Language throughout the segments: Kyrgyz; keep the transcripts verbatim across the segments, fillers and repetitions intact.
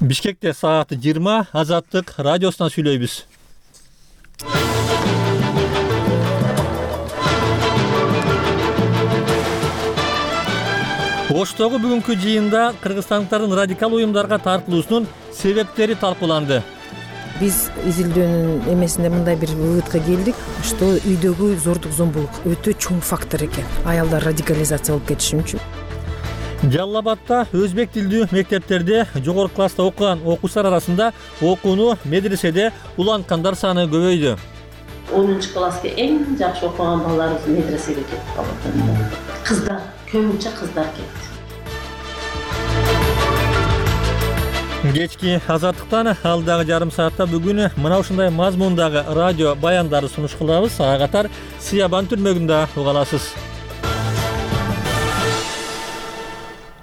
Бишкекте саат жыйырма Азаттык радиосунан сүйлөйбүз. Оштогу бүгүнкү жыйында кыргызстандыктардын радикал уюмдарга тартылуусунун себептери талкууланды. Биз изилдөөнүн эмесинде мындай бир выводко келдик, что үйдөгү зордук зомбулук өтө чоң фактор экен. Аялдар радикализация болуп кетиши мүмкүн. Жалал Абадта өзбек тилдүү мектептерде жогорку класста окуган окуучулар арасында окууну медреседе уланткандар саны көбөйдү. онунчу класска эң жакшы окуган балдарыбыз медресеге кетип калат. Кыздар, көбүнчө кыздар кетти. Кечки Азаттыктан алдагы жарым саатта бүгүн мына ушундай мазмундагы радио баяндарды сунуш кылабыз. Ага катар Сиябан түрмөгүндө уга аласыз.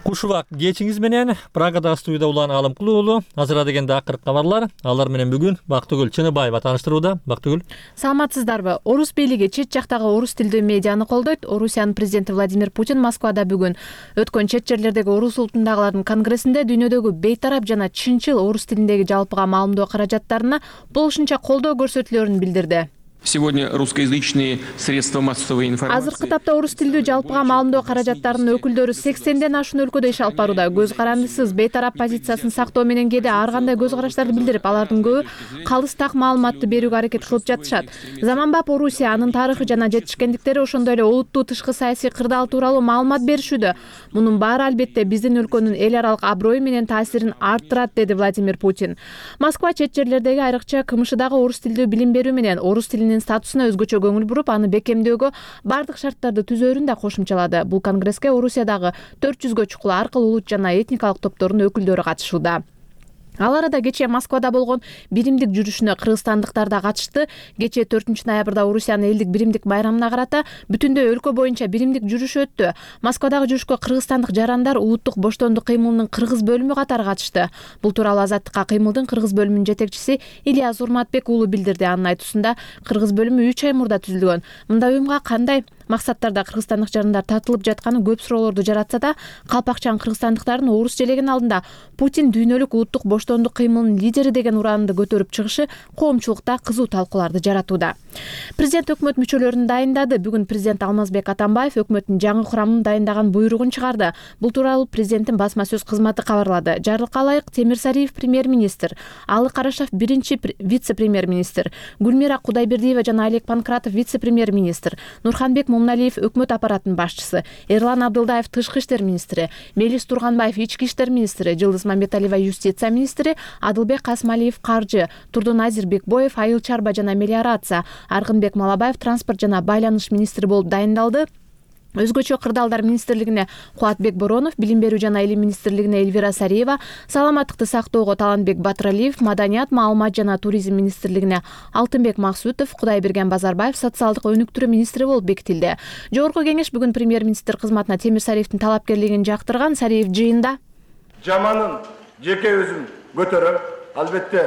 Кушубак кечиңиз менен Прагада студияда улан Алымкул уулу азыр дегенде акыркы кабарлар. Алар менен бүгүн Бактыгүл Чыныбаева тааныштырууда. Бактыгүл. Саламатсыздарбы? Орус бийлиги чет жактагы орус тилдүү медианы колдойт. Орусиянын президенти Владимир Путин Москвада бүгүн өткөн чет жерлердеги орус улутундагылардын конгрессинде дүйнөдөгү бейтарап жана чынчыл орус тилиндеги жалпыга маалымдоо каражаттарына болушунча колдоо көрсөтүлөөрүн билдирди. Сегодня русскоязычные средства массовой информации. Азыркы тапта орус тилдүү жалпыга маалымдоо каражаттарынын өкүлдөрү сексенден ашуун өлкөдө иш алып барууда. Көз карандысыз бейтарап позициясын сактоо менен кээде ар кандай көз караштарды билдирип, алардын көбү калыс так маалыматты берүүгө аракет кылып жатышат. Заманбап Орусия, анын тарыхы жана жетишкендиктери, ошондой эле олуттуу тышкы саясий кырдаал тууралуу маалымат беришүүдө. Мунун баары албетте биздин өлкөнүн эл аралык аброю менен таасирин арттырат, деди Владимир Путин. Москва чет жерлердеги айрыкча КМШдагы орус тилдүү билим берүү менен орус тилинин статусуна өзгөчө көңүл буруп, аны бекемдөөгө бардык шарттарды түзөөрүн да кошумчалады. Бул конгресске Орусиядагы төрт жүзгө чукул ар кыл улут жана этникалык топтордун өкүлдөрү катышууда. Ал арада кечээ Москвада болгон биримдик жүрүшүнө кыргызстандыктар да катышты. Кечээ төртүнчү ноябрда Орусиянын элдик биримдик байрамына карата бүтүндөй өлкө боюнча биримдик жүрүш өттү. Москвадагы жүрүшкө кыргызстандык жарандар улуттук боштондук кыймылынын кыргыз бөлүмү катары катышты. Бул тууралуу Азаттыкка кыймылдын кыргыз бөлүмүнүн жетекчиси Ильяс Урматбек уулу билдирди. Анын айтуусунда кыргыз бөлүмү үч ай мурда түзүлгөн. Мындай уюмга кандай максаттарда кыргызстандык жарандар тартылып жатканы көп суроолорду жаратса да, калпакчан кыргызстандыктардын орус желегин алдында Путин дүйнөлүк улуттук боштондук кыймылынын лидери деген ураанды көтөрүп чыгышы коомчулукта кызуу талкууларды жаратууда. Президент өкмөт мүчөлөрүн дайындады. Бүгүн президент Алмазбек Атамбаев өкмөттүн жаңы курамын дайындаган буйругун чыгарды. Бул тууралуу президенттин басма сөз кызматы кабарлады. Жарлыкка ылайык Темирсариев премьер-министр, Алы Карашев биринчи вице-премьер-министр, Гүлмира Кудайбердиева жана Олег Панкратов вице-премьер-министр, Нурханбек Мумналиев өкмөт аппаратынын башчысы, Эрлан Абдылдаев тышкы иштер министри, Мелис Турганбаев ички иштер министри, Жылдыз Мамбеталиева юстиция министри, Адылбек Касмалиев каржы, Турдун Азирбекбоев айыл чарба жана мелиорация, Аргынбек Малабаев транспорт жана байланыш министри болуп дайындалды. Өзгөчө кырдаалдар министрлигине Кубатбек Боронов, билим берүү жана илим министрлигине Эльвира Сариева, саламаттыкты сактоого Таланбек Батыралиев, маданият, маалымат жана туризм министрлигине Алтынбек Максутов, Кудайберген Базарбаев социалдык өнүктүрүү министри болуп бекитилди. Жогорку кеңеш бүгүн премьер-министр кызматына Темирсариевдин талапкерлигин жактырган. Сариев жыйында жаманын жеке өзүм көтөрөм, албетте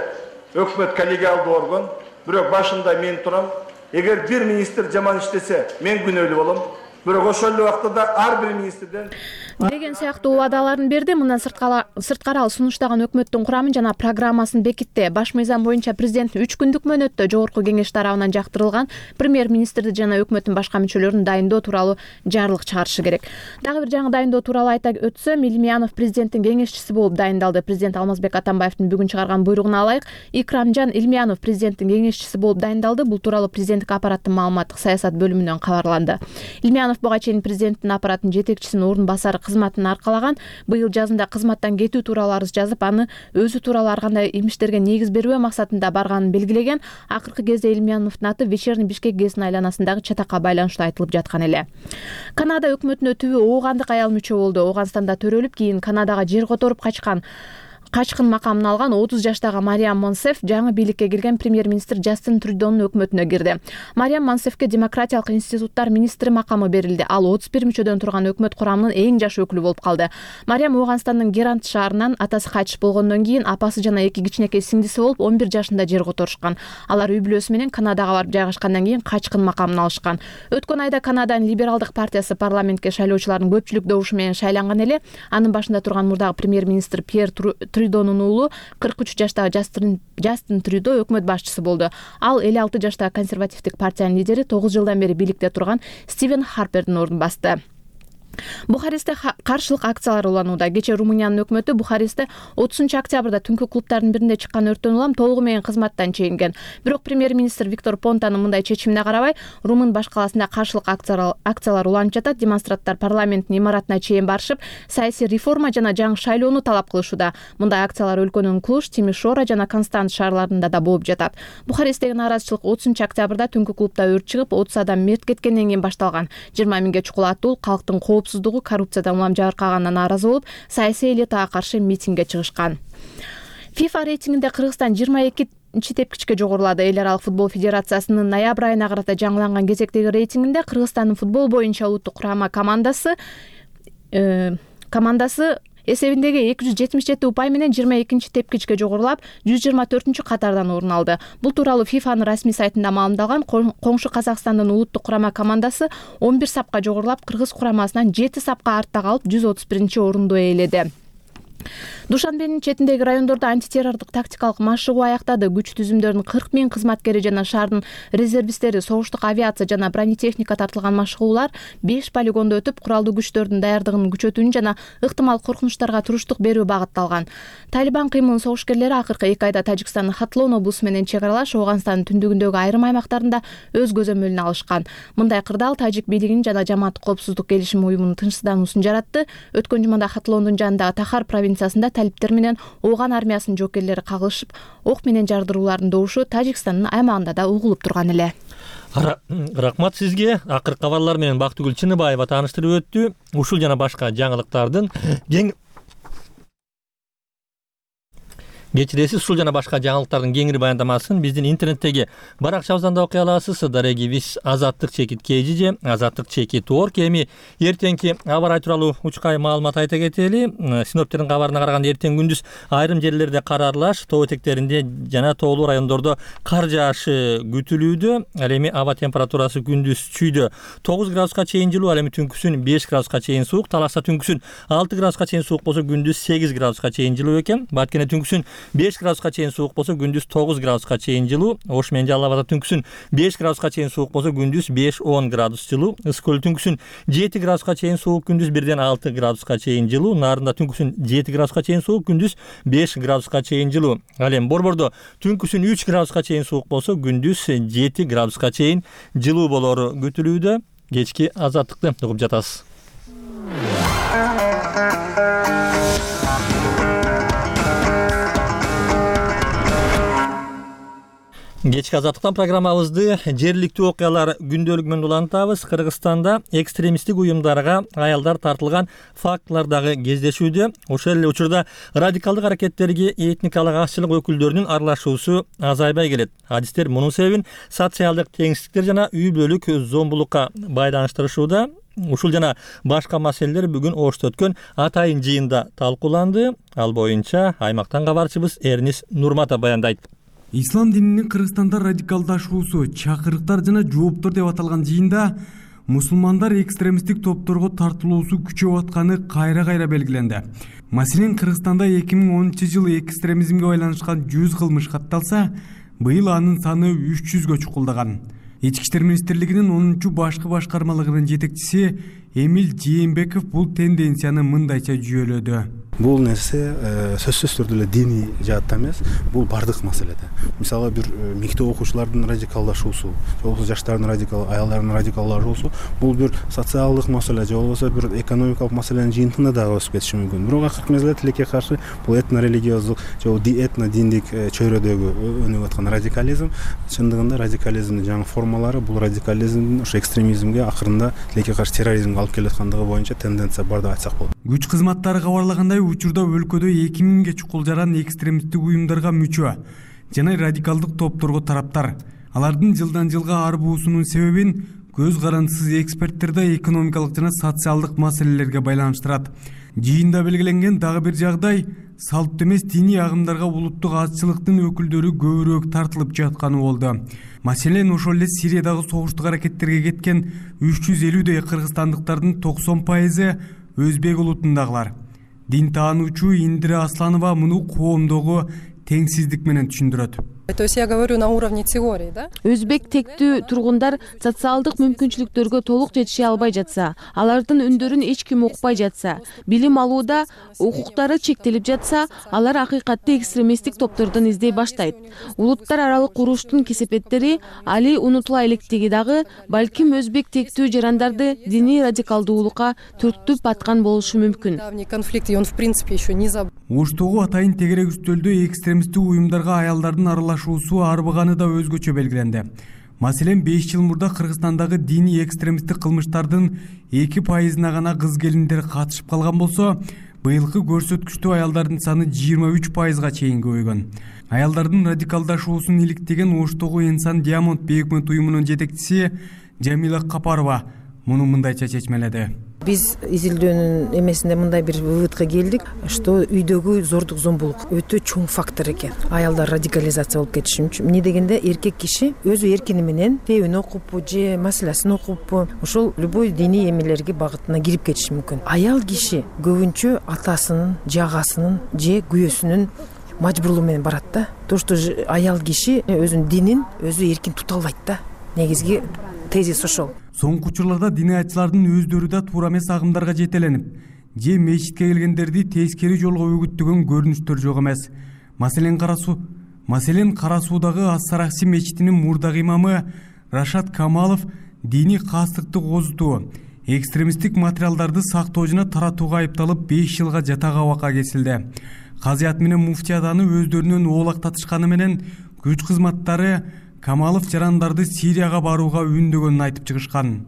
өкмөт коллегиалдуу орган, бирок башында мен турам. Эгер бир министр жаман иштесе, мен күнөөлүү болом. Бирок ошол эле убакта ар бир министрден деген сыяктуу убадаларын берди. Мындан сырткары ал сунуштаган өкмөттүн курамын жана программасын бекитти. Баш мыйзам боюнча президент үч күндүк мөөнөттө жогорку кеңеш тарабынан жактырылган премьер-министрди жана өкмөттүн башка мүчөлөрүн дайындоо тууралуу жарлык чыгарышы керек. Дагы бир жаңы дайындоо тууралуу айта өтсөм, Илмиянов президенттин кеңешчиси болуп дайындалды. Президент Алмазбек Атамбаевдин бүгүн чыгарган буйругуна ылайык Икрамжан Илмиянов президенттин кеңешчиси болуп дайындалды. Бул тууралуу президенттик аппараттын маалыматтык саясат бөлүмүнөн кабарланды. Илмиянов буга чейин президенттин аппараттын жетекчисинин орун басары кызматын аркалаган. Быйыл жазында кызматтан кетүү тууралуу арыз жазып, аны өзү тууралуу ар кандай имиштерге негиз бербөө максатында барганын белгилеген. Акыркы кезде Илмияновдун аты Вечерний Бишкек гезитинин айланасындагы чатакка байланыштуу айтылып жаткан эле. Канада өкмөтүнө түбү оогандык аял мүчө болду. Ооганстанда төрөлүп, кийин Канадага жер которуп качкан качкын макамын алган отуз жаштагы Мариам Монсеф жаңы бийликке келген премьер-министр Джастин Трюдонун өкмөтүнө кирди. Мариам Монсефке демократиялык институттар министри макамы берилди. Ал отуз бир мүчөдөн турган өкмөт курамынын эң жаш өкүлү болуп калды. Мариам Ооганстандын Герант шаарынан атасы кайтыш болгондон кийин апасы жана эки кичинекей сиңдиси болуп он бир жашында жер которушкан. Алар үй бүлөсү менен Канадага барып жайгашкандан кийин качкын макамын алышкан. Өткөн айда Канаданын либералдык партиясы парламентке шайлоочулардын көпчүлүк добушу менен шайланган эле. Анын башында турган мурдагы премьер-министр Пьер Трюдонун уулу кырк үч жаштагы Жастин Трюдо өкмөт башчысы болду. Ал элүү алты жаштагы консервативдик партиянын лидери тогуз жылдан бери бийликте турган Стивен Харпердин ордун басты. Бухарестте каршылык акциялар уланууда. Кечээ Румыниянын өкмөтү Бухарестте отузунчу октябрда түнкү клубдардын биринде чыккан өрттөн улам толугу менен кызматтан чегинген. Бирок премьер-министр Виктор Понтанын мындай чечимине карабай, Румын баш каласында каршылык акциялар уланып жатат. Демонстранттар парламенттин имаратына чейин барышып, саясий реформа жана жаңы шайлоону талап кылышууда. Мындай акциялар өлкөнүн Клуш, Тимишоара жана Констант шаарларында да болуп жатат. Бухаресттеги нааразычылык отузунчу октябрда түнкү клубда өрт чыгып, отуз адам мерт кеткенден кийин башталган. жыйырма миңге чукул аттуу калктын коопсуздугу, коррупциядан улам жабыркаганына нааразы болуп, саясий элитага каршы митингге чыгышкан. FIFA рейтингинде Кыргызстан жыйырма экинчи тепкичке жогорулады. Эл аралык футбол федерациясынын ноябрь айына карата жаңыланган кезектеги рейтингинде Кыргызстандын футбол боюнча улуттук курама командасы э, командасы эсебиндеги эки жүз жетимиш жети упай менен жыйырма экинчи тепкичке жогорулап, жүз жыйырма төртүнчү катардан орун алды. Бул тууралуу FIFAнын расмий сайтында маалымдалган. Коңшу Казакстандын улуттук курама командасы он бир сапка жогорулап, кыргыз курамасынан жети сапка артта калып, жүз отуз биринчи орунду ээледи. Душанбенин четиндеги райондордо антитеррордук тактикалык машыгуу аяктады. Күч түзүмдөрүнүн кырк миң кызматкери жана шаардын резервисттери, согуштук авиация жана бронетехника тартылган машыгуулар беш полигондо өтүп, куралдуу күчтөрдүн даярдыгын күчөтүүнү жана ыктымал коркунучтарга туруштук берүү багытталган. Талибан кыймылынын согушкерлери акыркы эки айда Тажикстандын Хатлон облусу менен чек аралаш Ооганстандын түндүгүндөгү айрым аймактарында өз көзөмөлүнө алышкан. Мындай кырдаал тажик бийлигинин жана жамааттык коопсуздук келишими уюмунун тынчсыздануусун жаратты. Өткөн жумада Хатлондун жанындагы Тахар провинциясында талиптер менен Ооган армиясынын жокерлери кагылышып, ок менен жардыруулардын добушу Тажикстандын аймагында да угулуп турган эле. Рахмат сизге. Акыркы кабарлар менен Бактыгүл Чыныбаева тааныштырып өттү. Ушул жана башка жаңылыктардын кең Кечиресиз, ушул жана башка жаңылыктардын кеңири баяндамасын биздин интернеттеги баракчабыздан да окуй аласыз. Дареги вис азаттык чекит kgj, азаттык чекит org. Эми эртеңки аба ырайы тууралуу учкай маалымат айта кетели. Синоптиктердин кабарына караганда эртең күндүз айрым жерлерде кар аралаш, тоо этектеринде жана тоолуу райондордо кар жаашы күтүлүүдө. Ал эми аба температурасы күндүз чүйдө тогуз градуска чейин жылуу, ал эми түнкүсүн беш градуска чейин суук. Таласта түнкүсүн алты градуска чейин суук болсо, күндүз сегиз градуска чейин жылуу экен. Баткене түнкүсүн беш градуска чейин суук болсо, күндүз тогуз градуска чейин жылуу. Ош менен Жалал Абадда түнкүсүн беш градуска чейин суук болсо, күндүз беш он градус жылуу. Ысык көл түнкүсүн жети градуска чейин суук, күндүз бирден алты градуска чейин жылуу. Нарында түнкүсүн жети градуска чейин суук, күндүз беш градуска чейин жылуу. Ал эми Борбордо түнкүсүн үч градуска чейин суук болсо, күндүз жети градуска чейин жылуу болору күтүлүүдө. Кечки азаттыкты угуп жатасыз. Кечки азаттыктан программабызды жергиликтүү окуялар күндөлүгү менен улантабыз. Кыргызстанда экстремисттик уюмдарга аялдар тартылган фактылар дагы кездешүүдө. Ошол эле учурда радикалдык аракеттерге этникалык азчылык өкүлдөрүнүн аралашуусу азайбай келет. Адистер мунун себебин социалдык теңсиздиктер жана үй бүлөлүк зомбулукка байланыштырышууда. Ушул жана башка маселелер бүгүн Ошто өткөн атайын жыйында талкууланды. Ал боюнча аймактан кабарчыбыз Эрнис Нурматов баяндайт. Ислам дининин Кыргызстанда радикалдашуусу, чакырыктар жана жооптор деп аталган жыйында мусулмандар экстремисттик топторго тартылуусу күчөп атканы кайра-кайра белгиленди. Маселен, Кыргызстанда эки миң онунчу жылы экстремизмге байланышкан жүз кылмыш катталса, быйыл анын саны үч жүзгө чукулдаган. Ички иштер министрлигинин онунчу башкы башкармалыгынын жетекчиси Эмил Жээнбеков бул тенденцияны мындайча жүйөлөдү. Бул нерсе сөзсүз түрдө эле диний жаатта эмес, бул бардык маселеде. Мисалы, бир мектеп окуучулардын радикалдашуусу, же болбосо жаштардын радикал, аялдардын радикалдашуусу, бул бир социалдык маселе, же болбосо бир экономикалык маселенин жыйынтыгында дагы өсүп кетиши мүмкүн. Бирок акыркы мезгилде тилекке каршы бул этно-религиоздук, же этно-диндик чөйрөдөгү өнүгүп аткан радикализм, чындыгында радикализмдин жаңы формалары бул радикализмдин ошо экстремизмге, акырында тилекке каршы терроризмге алып келаткандыгы боюнча тенденция бар деп айтсак болот. Күч кызматтары кабарлагандай, учурда өлкөдө эки миңге чукул жаран экстремисттик уюмдарга мүчө жана радикалдык топторго тараптар. Алардын жылдан жылга арбуусунун себебин көз карандысыз эксперттер да экономикалык жана социалдык маселелерге байланыштырат. Жыйында белгиленген дагы бир жагдай салттуу эмес диний агымдарга улуттук азчылыктын өкүлдөрү көбүрөөк тартылып жатканы болду. Маселен, ошол эле Сириядагы согуштук аракеттерге кеткен үч жүз элүүдөй кыргызстандыктардын токсон пайызы өзбек улутундагылар. Дин таануучу Индира Асланова муну коомдогу теңсиздик менен түшүндүрөт. То есть я говорю на уровне теории, да? Өзбек тектүү тургундар социалдык мүмкүнчүлүктөргө толук жетише албай жатса, алардын үндөрүн эч ким укпай жатса, билим алууда укуктары чектелип жатса, алар акыйкатты экстремисттик топтордон издей баштайт. Улуттар аралык уруштун кесепеттери али унутула электиги дагы балким өзбек тектүү жарандарды диний радикалдуулукка түртүп аткан болушу мүмкүн. Давний конфликт, и он в принципе еще не забыл. Оштогу атайын тегерек үстөлдө экстремисттик уюмдарга аялдардын аралашуусу арбыганы да өзгөчө белгиленди. Маселен, беш жыл мурда Кыргызстандагы диний экстремисттик кылмыштардын эки пайызына гана кыз келиндер катышып калган болсо, быйылкы көрсөткүчтө аялдардын саны жыйырма үч пайызга чейин көбөйгөн. Аялдардын радикалдашуусун иликтеген Оштогу Инсан Диамонд бейөкмөт уюмунун жетекчиси Жамила Капарова муну мындайча чечмеледи. Биз изилдөөнүн эмесинде мындай бир выводко келдик, что үйдөгү зордук зомбулук өтө чоң фактор экен. Аялдар радикализация болуп кетиши мүмкүн. Эмне дегенде эркек киши өзү эркини менен китебин окуппу же маселесин окуппу, ошол любой диний эмелерге багытына кирип кетиши мүмкүн. Аял киши көбүнчө атасынын, жагасынын же күйөөсүнүн мажбурлугу менен барат да. То, что аял киши өзүнүн динин өзү эркин тута албайт да. Негизги тезис ошол. Соңку учурларда диниятчылардын өздөрү да туура эмес агымдарга жетеленип, же мечитке келгендерди тескери жолго үгүттөгөн көрүнүштөр жок эмес. Маселен Карасу, маселен Карасуудагы Ас-Сарахси мечитинин мурдагы имамы Рашат Камалов диний кастыкты козутуу, экстремисттик материалдарды сактоо жана таратууга айыпталып беш жылга жатак абакка кесилди. Казыят менен муфтият аны өздөрүнөн оолактатышканы менен күч кызматтары Камалов жарандарды Сирияга барууга үндөгөнүн айтып чыгышкан.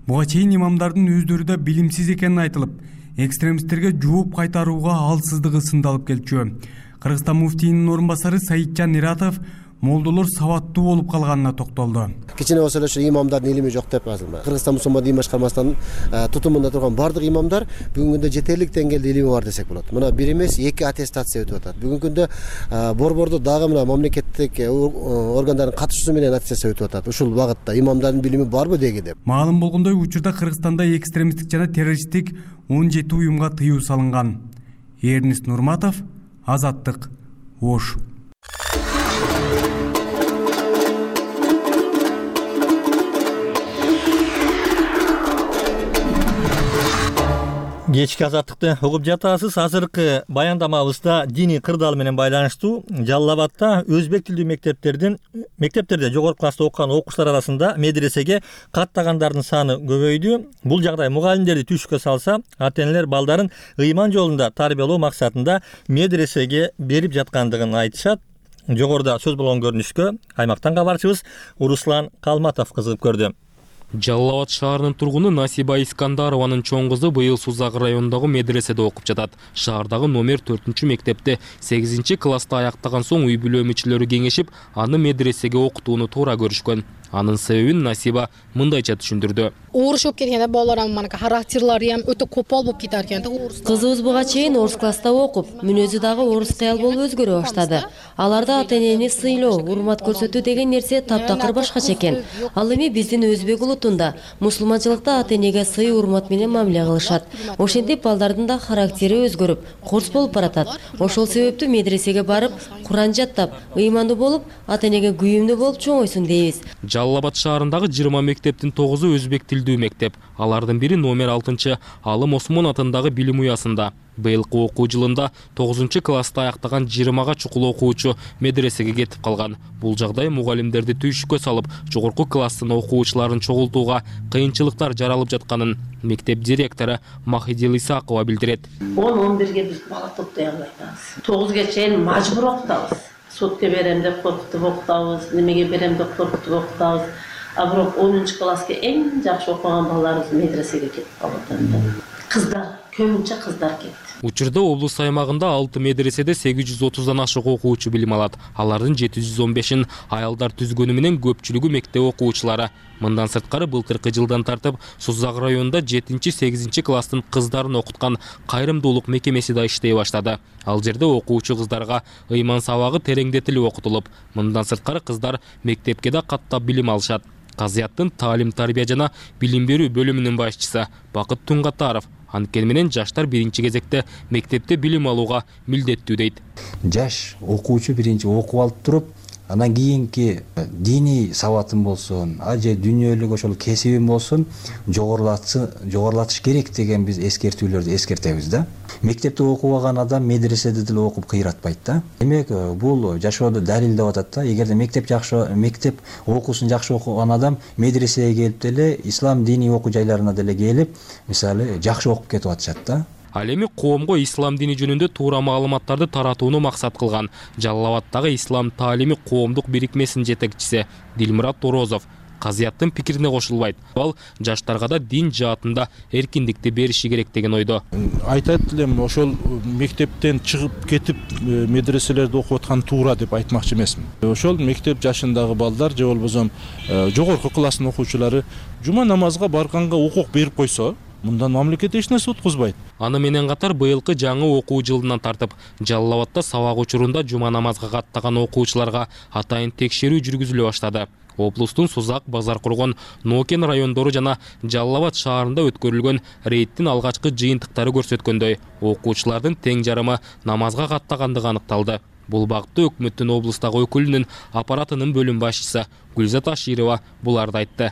Буга чейин имамдардын өздөрү да билимсиз экени айтылып, экстремисттерге жооп кайтарууга алсыздыгы сындалып келчү. Кыргызстан муфтийинин орун басары Саиджан Иратов молдолор сабаттуу болуп калганына токтолду. Кичине болсо эле имамдардын илими жок деп азыр. Кыргызстан мусулман дин башкармасынын тутумунда турган бардык имамдар бүгүнкү күндө жетерлик деңгээлде илими бар десек болот. Мына бир эмес эки аттестация өтүп атат. Бүгүнкү күндө борбордо дагы мына мамлекеттик органдардын катышуусу менен аттестация өтүп атат. Ушул багытта имамдардын билими барбы деги деп. Маалым болгондой, учурда Кыргызстанда экстремисттик жана террористтик он жети уюмга тыюу салынган. Эрнис Нурматов, Азаттык, Ош. Кечки азаттыкты угуп жатасыз. Азыркы баяндамабызда диний кырдаал менен байланыштуу Жалал Абадта өзбек тилдүү мектептердин мектептерде жогорку класста окуган окуучулар арасында медресеге каттагандардын саны көбөйдү. Бул жагдай мугалимдерди түшкө салса, ата-энелер балдарын ыйман жолунда тарбиялоо максатында медресеге берип жаткандыгын айтышат. Жогоруда сөз болгон көрүнүшкө аймактан кабарчыбыз Руслан Калматов кызыгып көрдү. Жалал Абад шаарынын тургуну Насиба Искандарованын чоң кызы быйыл Сузак районундагы медреседе окуп жатат. Шаардагы номер төртүнчү мектепте сегизинчи класста аяктаган соң үй бүлө мүчөлөрү кеңешип, аны медресеге окутууну туура көрүшкөн. Анын себебин Насиба мындайча түшүндүрдү. Орус окуп келгенде балдарым манка характерлери ham өтө көпөл болуп кетер экен. Кызыбыз буга чейин орус класста окуп, мүнөзү дагы орус кыял болуп өзгөрө баштады. Аларда ата-энени сыйлоо, урмат көрсөтүү деген нерсе таптакыр башкача экен. Ал эми биздин өзбек улутунда мусулманчылыкта ата-энеге сый, урмат менен мамиле кылышат. Ошентип балдардын да характери өзгөрүп, курс болуп баратат. Ошол себептүү медресеге барып, Куран жаттап, ыймандуу болуп, ата-энеге күйүмдүү болуп чоңойсун дейбиз. Жалал Абад шаарындагы жыйырма мектептин тогузу өзбек тилдүү мектеп. Алардын бири номер алтынчы Алым Осмон атындагы билим уясында. Быйылкы окуу жылында тогузунчу класста аяктаган жыйырмага чукул окуучу медресеге кетип калган. Бул жагдай мугалимдерди түйшүккө салып, жогорку класстын окуучуларын чогултууга кыйынчылыктар жаралып жатканын мектеп директору Махидил Исакова билдирет. он он бирге биз бала топтой албайбыз. тогузга чейин мажбур окутабыз. Сотко берем деп коркутуп окутабыз, немеге берем деп коркутуп окутабыз. А бирок онунчу класска эң жакшы окуган балдарыбыз медресеге кетип калат. Кыздар, көбүнчө кыздар кетти. Учурда облус аймагында алты медреседе сегиз жүз отуздан ашык окуучу билим алат. Алардын жети жүз он бешин аялдар түзгөнү менен көпчүлүгү мектеп окуучулары. Мындан сырткары былтыркы жылдан тартып Сузак районунда жетинчи сегизинчи класстын кыздарын окуткан кайрымдуулук мекемеси да иштей баштады. Ал жерде окуучу кыздарга ыйман сабагы тереңдетилип окутулуп, мындан сырткары кыздар мектепке да каттап билим алышат. Казыяттын таалим тарбия жана билим берүү бөлүмүнүн башчысы Бакыт Тунгатаров Анткени менен жаштар биринчи кезекте мектепте билим алууга милдеттүү дейт. Жаш окуучу биринчи окуп алып туруп, анан кийинки диний сабатым болсун, а же дүйнөлүк ошол кесибим болсун жогорулатыш керек деген биз эскертүүлөрдү эскертебиз да. Мектепте окубаган адам медреседе деле окуп кыйратпайт да. Демек, бул жашоодо далилдеп атат да. Эгерде мектеп жакшы, мектеп окуусун жакшы окуган адам медресеге келип деле, ислам диний окуу жайларына деле келип, мисалы, жакшы окуп кетип атышат да. Ал эми коомго ислам дини жөнүндө туура маалыматтарды таратууну максат кылган Жалал Абаддагы ислам таалими коомдук бирикмесинин жетекчиси Дилмурат Орозов казыяттын пикирине кошулбайт. Ал жаштарга да дин жаатында эркиндикти бериши керек деген ойдо. Айтат элем, ошол мектептен чыгып кетип медреселерде окуп аткан туура деп айтмакчы эмесмин. Ошол мектеп жашындагы балдар же болбосо жогорку класстын окуучулары жума намазга барганга укук берип койсо, мындан мамлекет эч нерсе уткузбайт. Аны менен катар быйылкы жаңы окуу жылынан тартып Жалал Абадда сабак учурунда жума намазга каттаган окуучуларга атайын текшерүү жүргүзүлө баштады. Облустун Сузак, Базар Кургон, Нокен райондору жана Жалал Абад шаарында өткөрүлгөн рейдтин алгачкы жыйынтыктары көрсөткөндөй, окуучулардын тең жарымы намазга каттагандыгы аныкталды. Бул багытта өкмөттүн облустагы өкүлүнүн аппаратынын бөлүм башчысы Гүлзат Аширова буларды айтты.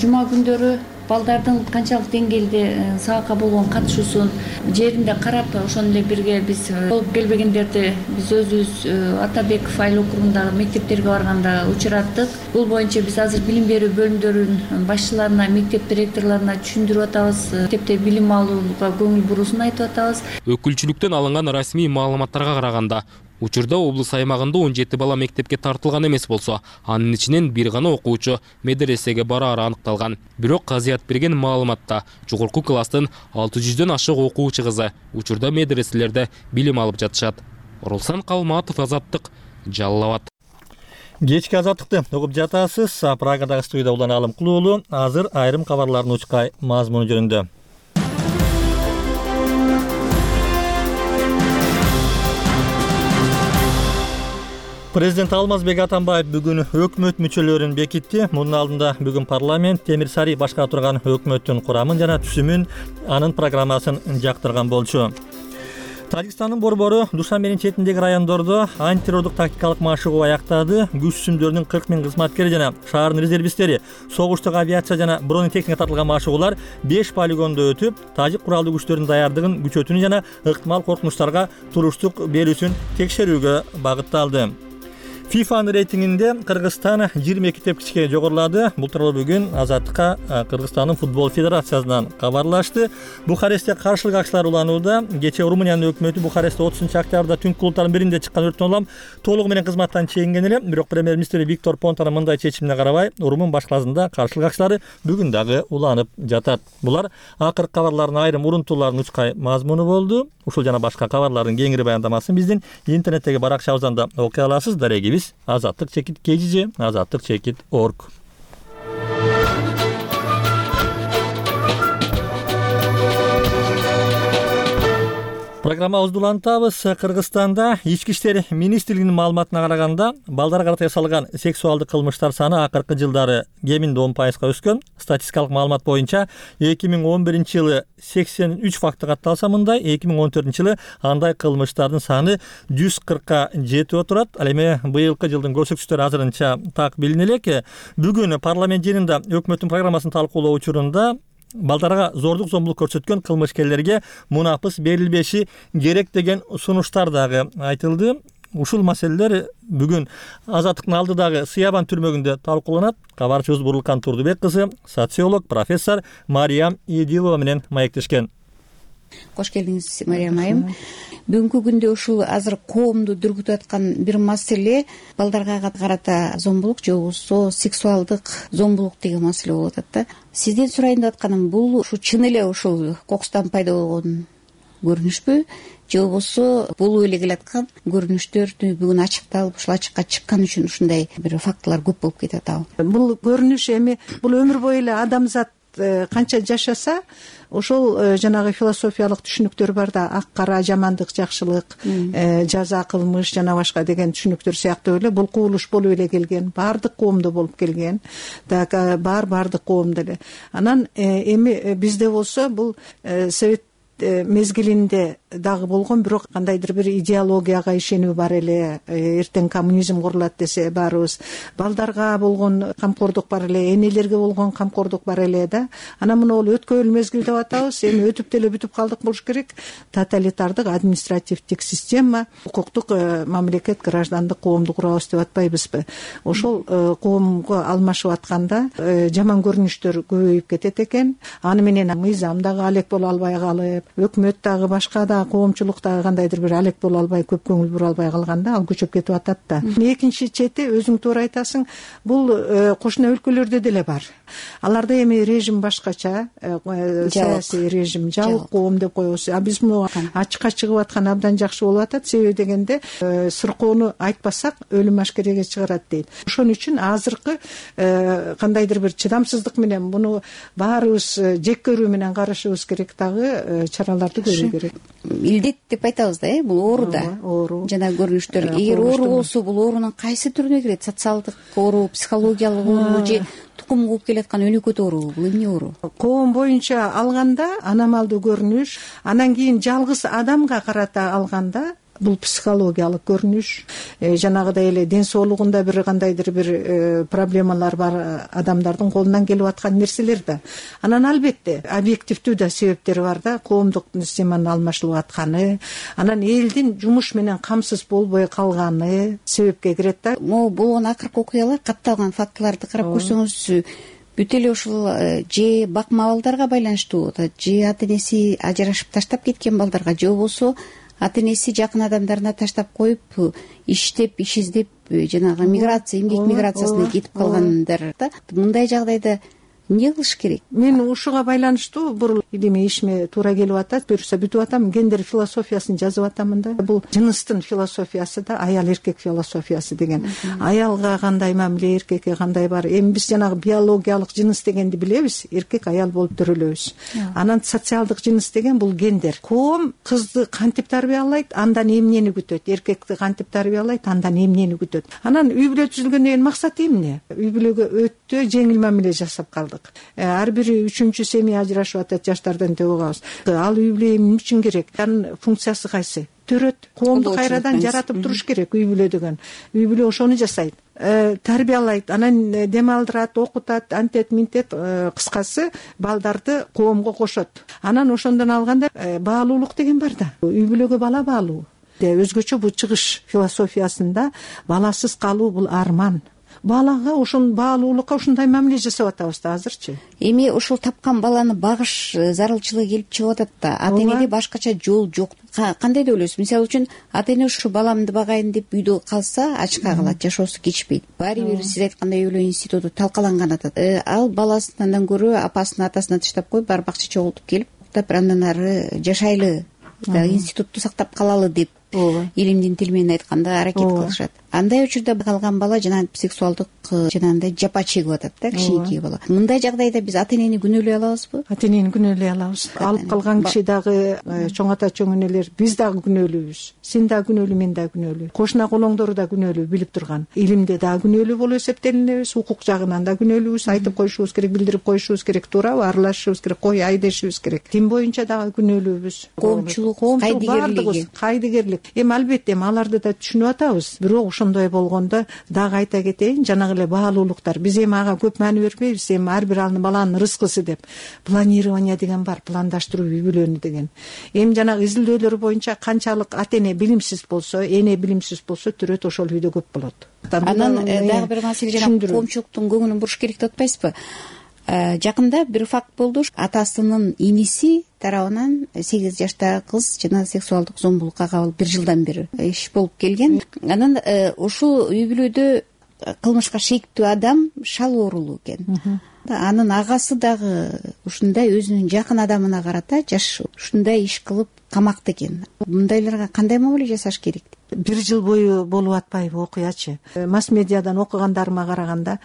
Жума күндөрү балдардын канчалык деңгээлде сабакка болгон катышуусун жеринде карап, ошону эле бирге биз болуп келбегендерди биз өзүбүз Атабеков айыл округундагы мектептерге барганда учураттык. Бул боюнча биз азыр билим берүү бөлүмдөрүнүн башчыларына, мектеп директорлоруна түшүндүрүп атабыз. Мектепте билим алууга көңүл буруусун айтып атабыз. Өкүлчүлүктөн алынган расмий маалыматтарга караганда, учурда облус аймагында он жети бала мектепке тартылган эмес болсо, анын ичинен бир гана окуучу медресеге бараары аныкталган. Бирок казыят берген маалыматта жогорку класстын алты жүздөн ашык окуучу кызы учурда медреселерде билим алып жатышат. Оролсан Калматов, Азаттык, Жалал Абад. Кечки Азаттыкты угуп жатасыз. Прагадагы студияда Улан Алымкулуулу азыр айрым кабарлардын учкай мазмуну жөнүндө. Президент Алмазбек Атамбаев бүгүн өкмөт мүчөлөрүн бекитти. Мунун алдында бүгүн парламент Темир Сарый башкара турган өкмөттүн курамын жана түсүмүн, анын программасын жактырган болчу. Тажикстандын борбору Душанбенин четиндеги райондордо антитеррордук тактикалык машыгуу аяктады. Күч сүмдөрүнүн кырк миң кызматкери жана шаардын резервисттери согуштук авиация жана бронетехника тартылган машыгуулар беш полигондо өтүп, тажик куралдуу күчтөрүнүн даярдыгын күчөтүүнү жана ыктымал коркунучтарга туруштук берүүсүн текшерүүгө багытталды. ФИФАнын рейтингинде Кыргызстан жыйырма эки тепкичке жогорулады. Бул тууралуу бүгүн Азаттыкка Кыргызстандын футбол федерациясынан кабарлашты. Бухарестте каршылык акчалар уланууда. Кечээ Румыниянын өкмөтү Бухарестте отузунчу октябрда түнкү клубдардын биринде чыккан өрттөн улам толугу менен кызматтан чегинген эле. Бирок премьер-министр Виктор Понтанын мындай чечимине карабай, Румын башкаласында каршылык акчалары бүгүн дагы уланып жатат. Булар акыркы кабарлардын айрым урунтууларынын учкай мазмуну болду. Ушул жана башка кабарлардын кеңири баяндамасын биздин интернеттеги баракчабыздан да окуй аласыз. Дарегибиз азаттык чекит kgj, азаттык чекит org. Программабызды улантабыз. Кыргызстанда ички иштер министрлигинин маалыматына караганда, балдарга карата жасалган сексуалдык кылмыштар саны акыркы жылдары кеминде он пайызга өскөн. Статистикалык маалымат боюнча эки миң он биринчи жылы сексен үч факты катталса мындай, эки миң он төртүнчү жылы андай кылмыштардын саны жүз кыркка жетип отурат. Ал эми быйылкы жылдын көрсөткүчтөрү азырынча так билине элек. Бүгүн парламент жыйынында өкмөттүн программасын талкуулоо учурунда балдарга зордук зомбулук көрсөткөн кылмышкерлерге мунапыс берилбеши керек деген сунуштар дагы айтылды. Ушул маселелер бүгүн Азаттыктын алдыдагы Сыябан түрмөгүндө талкууланат. Кабарчыбыз Бурлукан Турдубек кызы, социолог, профессор Мариям Идилова менен маектешкен. Кош келдиңиз, Мариям айым. Бүгүнкү күндө ушул азыр коомду дүргүтүп аткан бир маселе балдарга карата зомбулук же болбосо сексуалдык зомбулук деген маселе болуп атат да. Сизден сурайын деп атканым, бул ушу чын эле ушул кокустан пайда болгон көрүнүшпү же болбосо болуп эле келаткан көрүнүштөр бүгүн ачыкталып ушул ачыкка чыккан үчүн ушундай бир фактылар көп болуп кетип атабы? Бул көрүнүш эми бул өмүр бою эле адамзат канча жашаса, ошол жанагы философиялык түшүнүктөр бар да, ак кара, жамандык, жакшылык, жаза, кылмыш жана башка деген түшүнүктөр сыяктуу эле бул кубулуш болуп эле келген, баардык коомдо болуп келген. Так бар баардык коомдо эле. Анан эми бизде болсо бул совет мезгилинде дагы болгон, бирок кандайдыр бир идеологияга ишенүү бар эле, эртең коммунизм курулат десе баарыбыз, балдарга болгон камкордук бар эле, энелерге болгон камкордук бар эле да. Анан мына бул өткөн мезгил деп атабыз, эми өтүп деле бүтүп калдык болуш керек. Тоталитардык административдик система, укуктук мамлекет, граждандык коомду курабыз деп атпайбызбы? Ошол коомго алмашып атканда жаман көрүнүштөр көбөйүп кетет экен. Аны менен мыйзам дагы алек боло албай калып, өкмөт дагы, башка да коомчулук дагы кандайдыр бир алек боло албай, көп көңүл бура албай калганда ал көчөп кетип атат да. Экинчи чети, өзүң туура айтасың, бул кошуна өлкөлөрдө деле бар. Аларда эми режим башкача, саясий режим, жабык коом деп коебуз. А биз муну ачыкка чыгып аткан абдан жакшы болуп атат. Себеби дегенде сыркоону айтпасак өлүм ашкереге чыгарат дейт. Ошон үчүн азыркы кандайдыр бир чыдамсыздык менен буну баарыбыз жек көрүү менен карашыбыз керек, дагы чараларды көрүү керек. Илдет деп айтабыз да, э, бул оору да. Оору. Жана көрүнүштөр. Эгер оору болсо, бул оорунун кайсы түрүнө кирет? Социалдык оору, психологиялык оору же тукум кууп келаткан өнөкөт оору? Бул эмне оору? Коом боюнча алганда аномалдуу көрүнүш, анан кийин жалгыз адамга карата алганда бул психологиялык көрүнүш, жанагыдай эле ден соолугунда бир кандайдыр бир проблемалар бар адамдардын колунан келип аткан нерселер да. Анан албетте объективдүү да себептери бар да, коомдук системанын алмашылып атканы, анан элдин жумуш менен камсыз болбой калганы себепке кирет да. Могу болгон акыркы окуялар, катталган фактыларды карап көрсөңүз, бүт эле ушул же бакма балдарга байланыштуу, же ата энеси ажырашып таштап кеткен балдарга, же болбосо ата энеси жакын адамдарына таштап коюп, иштеп, иш издеп, жанагы миграция, эмгек миграциясына кетип калгандар да. Мындай жагдайда эмне кылыш керек? Мен ушуга байланыштуу бир илимий ишиме туура келип атат. Буюрса бүтүп атам, гендер философиясын жазып атамын да. Бул жыныстын философиясы да, аял эркек философиясы деген. Аялга кандай мамиле, эркекке кандай бар. Эми биз жанагы биологиялык жыныс дегенди билебиз, эркек аял болуп төрөлөбүз. Анан социалдык жыныс деген бул гендер. Коом кызды кантип тарбиялайт, андан эмнени күтөт, эркекти кантип тарбиялайт, андан эмнени күтөт. Анан үй бүлө түзүлгөндөн кийин максаты эмне? Үй бүлөгө өтө жеңил мамиле жасап калдык. Ар бир үчүнчү семья ажырашып атат, жаштардан деп угабыз. Ал үй бүлө эмне үчүн керек? Анын функциясы кайсы? Төрөт, коомду кайрадан жаратып туруш керек үй бүлө деген. Үй бүлө ошону жасайт, тарбиялайт, анан дем алдырат, окутат, антет, минтет, кыскасы балдарды коомго кошот. Анан ошондон алганда баалуулук деген бар да. Үй бүлөгө бала баалуу. Өзгөчө бул чыгыш философиясында баласыз калуу бул арман. Балага ошон баалуулукка ушундай мамиле жасап атабыз да азырчы. Эми ушул тапкан баланы багыш зарылчылыгы келип чыгып атат да. Ата энеде башкача жол жок. Кандай деп ойлойсуз? Мисалы үчүн ата эне ушу баламды багайын деп үйдө калса ачка калат, жашоосу кечпейт. Баары бир сиз айткандай үй бүлө институту талкаланган атат. Ал баласын андан көрө апасын атасына таштап коюп, барып акча чогултуп келип, андан ары жашайлы, институтту сактап калалы деп илимдин тили менен айтканда аракет кылышат. Андай учурда калган бала жана сексуалдык жанагындай жапа чегип атат да, кичинекей бала. Мындай жагдайда биз ата энени күнөөлөй алабызбы? Ата энени күнөөлөй алабыз. Алып калган киши дагы, чоң ата чоң энелер, биз дагы күнөөлүүбүз. Сен дагы күнөөлүү, мен дагы күнөөлүү. Кошуна колоңдору да күнөөлүү, билип турган. Илимде дагы күнөөлүү болуп эсептелинебиз, укук жагынан да күнөөлүүбүз, айтып коюшубуз керек, билдирип коюшубуз керек, туурабы? Аралашышыбыз керек, кой ай дешибиз керек. Дин боюнча дагы күнөөлүүбүз. Коомчулук, кайдыгерлиги. Кайдыгерлик. Эми албетте аларды да түшүнүп атабыз. Бирок ошондой болгондо дагы айта кетейин, жанагы эле баалуулуктар. Биз эми ага көп маани бербейбиз. Эми ар бир баланын рызкысы деп планирование деген бар, пландаштыруу үй бүлөнү деген. Эми жанагы изилдөөлөр боюнча канчалык ата эне билимсиз болсо, эне билимсиз болсо, түрөт ошол үйдө көп болот. Анан дагы бир маселе, жана коомчулуктун көңүлүн буруш керек деп атпайсызбы? Жакында бир факт болду. Атасынын иниси тарабынан сегиз жаштагы кыз жана сексуалдык зомбулукка кабыл бир жылдан бери иш болуп келген. Анан ушул үй бүлөдө кылмышка шектүү адам шал оорулуу экен. Анын агасы дагы ушундай өзүнүн жакын адамына карата жаш ушундай иш кылып камакта экен. Мындайларга кандай мамиле жасаш керек? Бир жыл бою болуп атпайбы окуячы? Масс медиадан окугандарыма караганда,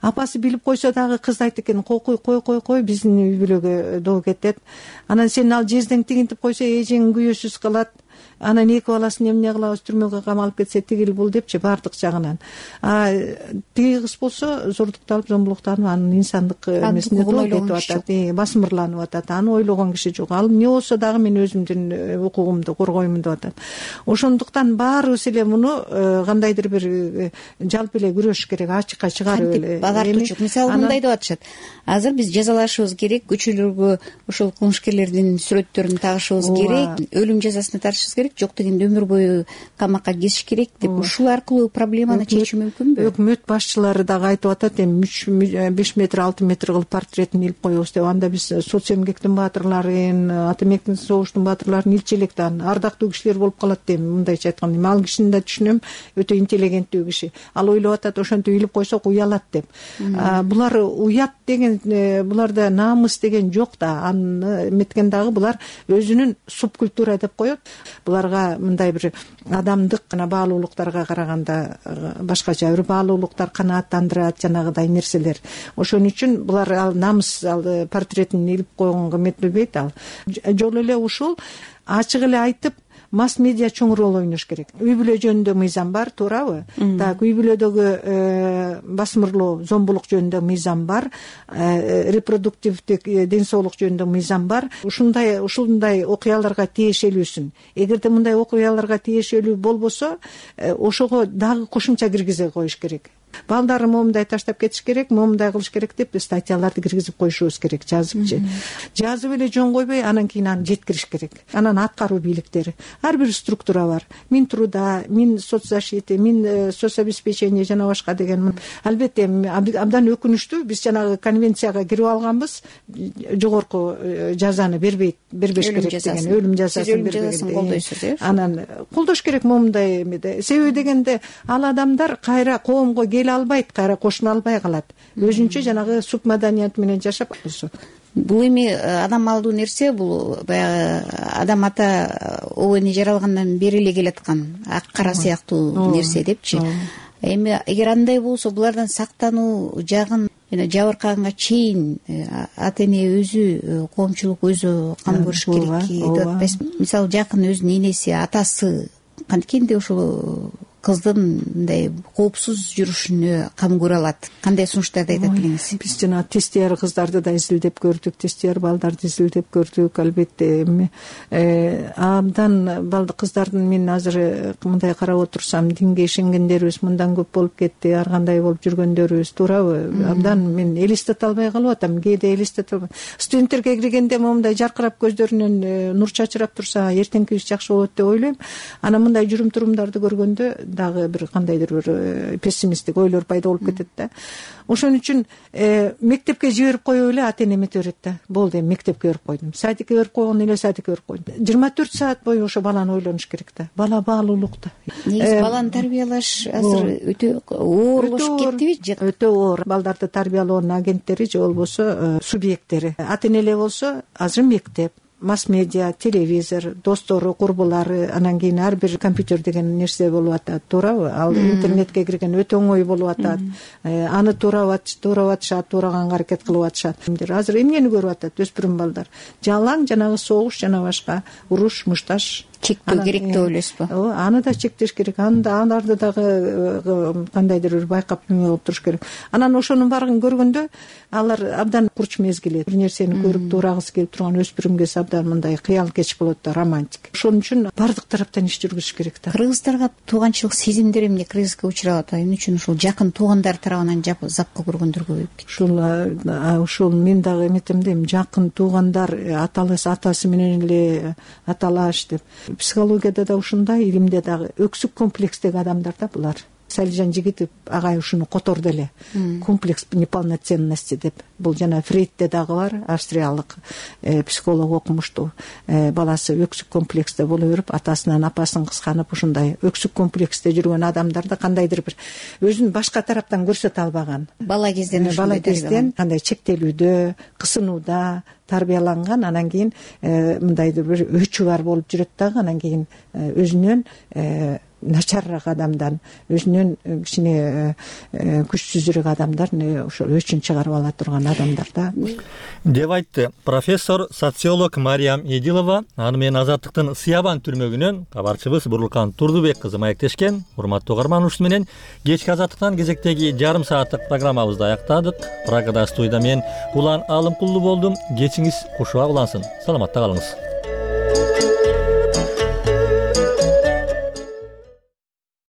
апасы билип койсо дагы кыз айтты экен, кой кой кой кой кой биздин үй бүлөгө доо кетет. Анан сен ал жездең тигинтип койсо, эжең күйөөсүз калат. анан эки баласын эмне кылабыз, түрмөгө камалып кетсе тигил бул депчи баардык жагынан. А тиги кыз болсо зордукталып, зомбулуктанып, анын инсандык эмесине кетип атат, басмырланып атат. Аны ойлогон киши жок. Ал эмне болсо дагы мен өзүмдүн укугумду коргоймун деп атат. Ошондуктан баарыбыз эле муну кандайдыр бир жалпы эле күрөшүш керек, ачыкка чыгарып эле. Багартуучу мисалы мындай деп атышат. Азыр биз жазалашыбыз керек, көчөлөргө ошол кылмышкерлердин сүрөттөрүн тагышыбыз керек, өлүм жазасына тартышыбыз керек, жок дегенде өмүр бою камакка кесиш керек деп, ушул аркылуу проблеманы чечүү мүмкүнбү? Өкмөт башчылары дагы айтып атат, эми беш метр алты метр кылып портретин илип коебуз деп. Анда биз соц эмгектин баатырларын, ата эмгектин согуштун баатырларын илчи элек да ардактуу кишилер болуп калат дейм. Мындайча айтканда, эми ал кишини да түшүнөм, өтө интеллигенттүү киши. Ал ойлоп атат, ошентип илип койсок уялат деп. Булар уят деген, буларда намыс деген жок да. Аны эметкен дагы булар өзүнүн субкультура деп коет. Буларга мындай бир адамдык жана баалуулуктарга караганда башкача бир баалуулуктар канааттандырат, жанагыдай нерселер. Ошон үчүн булар ал намыс ал портретин илип койгонго эметилбейт. Ал жолу эле ушул ачык эле айтып, масс медиа чоң роль ойнош керек. Үй бүлө жөнүндө мыйзам бар, туурабы? Так, үй бүлөдөгү басмырлоо, зомбулук жөнүндө мыйзам бар, репродуктивдик ден соолук жөнүндө мыйзам бар. Ушундай ушундай окуяларга тиешелүүсүн. Эгерде мындай окуяларга тиешелүү болбосо, ошого дагы кошумча киргизе коюш керек. Балдары момундай таштап кетиш керек, момундай кылыш керек деп статьяларды киргизип коюшубуз керек, жазыпчы. Жазып эле жөн койбой, анан кийин аны жеткириш керек. Анан аткаруу бийликтери. Ар бир структура бар. Минтруда, Мин соцзащиты, Мин соцобеспечение жана башка деген. Албетте абдан өкүнүчтүү, биз жанагы конвенцияга кирип алганбыз, жогорку жазаны бербейт, бербеш керек деген, өлүм жазасын бербеген. Анан колдош керек момундай эмеде. Себеби дегенде ал адамдар кайра коомго келе албайт, кайра кошуна албай калат. Өзүнчө жанагы субмаданият менен жашап калса. Бул эми адам малдуу нерсе, бул баягы адам ата обойну жаралгандан бери эле келаткан ак кара сыяктуу нерсе депчи. Эми эгер андай болсо, булардан сактануу жагын жабыркаганга чейин ата эне өзү, коомчулук өзү кам көрүш керек деп атпайсызбы? Мисалы жакын өзүнүн энеси, атасы канткенде ушул кыздын мындай коопсуз жүрүшүнө кам көрө алат. Кандай сунуштарды айтат элеңиз? Биз жана тестияр кыздарды да изилдеп көрдүк, тестияр балдарды изилдеп көрдүк. Албетте эми абдан балды кыздардын, мен азыр мындай карап отурсам, динге ишенгендерибиз мындан көп болуп кетти, ар кандай болуп жүргөндөрүбүз, туурабы? Абдан мен элестете албай калып атам, кээде элестете албайм. Студенттерге киргенде момундай жаркырап көздөрүнөн нур чачырап турса, эртеңкибиз жакшы болот деп ойлойм. Анан мындай жүрүм-турумдарды көргөндө дагы бир кандайдыр бир пессимисттик ойлор пайда болуп кетет да. Ошон үчүн мектепке жиберип коюп эле ата эне эмете берет да. Болду, эми мектепке берип койдум. Садикке берип койгон эле садикке берип койдум. жыйырма төрт саат бою ошо баланы ойлонуш керек да. Бала баалуулукта. Негизи баланы тарбиялаш азыр өтө оорлошуп кеттиби? Өтө оор. Балдарды тарбиялоонун агенттери же болбосо субъекттери. Ата эне эле болсо азыр мектеп, масс-медиа, телевизор, достору, курбулары, анан кийин ар бир компьютер деген нерсе болуп атат, туурабы? Ал интернетке кирген өтө оңой болуп атат. Аны туурап атышат, туураган аракет кылып атышат. Азыр эмнени көрүп атат өспүрүм балдар? Жалаң жанагы согуш жана башка уруш, мушташ чектөө керек деп ойлойсузбу? Ооба, аны да чектеш керек. Аны да аларды дагы кандайдыр бир байкап кылып туруш керек. Анан ошонун баарын көргөндө алар абдан курч мезгил, бир нерсени көрүп туурагысы келип турган өспүрүмгө абдан мындай кыял кеч болот да, романтик. Ошон үчүн бардык тараптан иш жүргүзүш керек да. Кыргыздарга тууганчылык сезимдери эмне кризиске учурап атат? Эмне үчүн ушул жакын туугандар тарабынан запка көргөндөр көбөйүп кетти? Ушул ушул мен дагы эметем дейм, жакын туугандар аталас атасы менен эле аталаш деп. Психологияда да ушундай, илимде дагы өксүк комплекстеги адамдар да булар. Салижан Жигитов агай ушуну которду эле. Комплекс неполноценности деп. Бул жана Фрейдте дагы бар, австриялык психолог окумуштуу. Баласы өксүк комплексте боло берип, атасынан апасын кысканып, ушундай өксүк комплексте жүргөн адамдарда кандайдыр бир өзүн башка тараптан көрсөтө албаган. Бала кезден бала кезден кандай чектелүүдө, кысынууда тарбияланган, анан кийин мындайдыр бир өчү бар болуп жүрөт дагы, анан кийин өзүнөн начарыраак адамдан, өзүнөн кичине күчсүзүрөөк адамдар ошол өчүн чыгарып ала турган адамдар да деп айтты профессор социолог Мариям Эдилова. Аны менен Азаттыктын Сыябан түрмөгүнөн кабарчыбыз Бурурлкан Турдубек кызы маектешкен. Урматтуу угарман, ушуну менен кечки Азаттыктан кезектеги жарым сааттык программабызды аяктадык. Прагада студияда мен Улан Алымкулду болдум. Кечиңиз кушубак улансын. Саламатта калыңыз.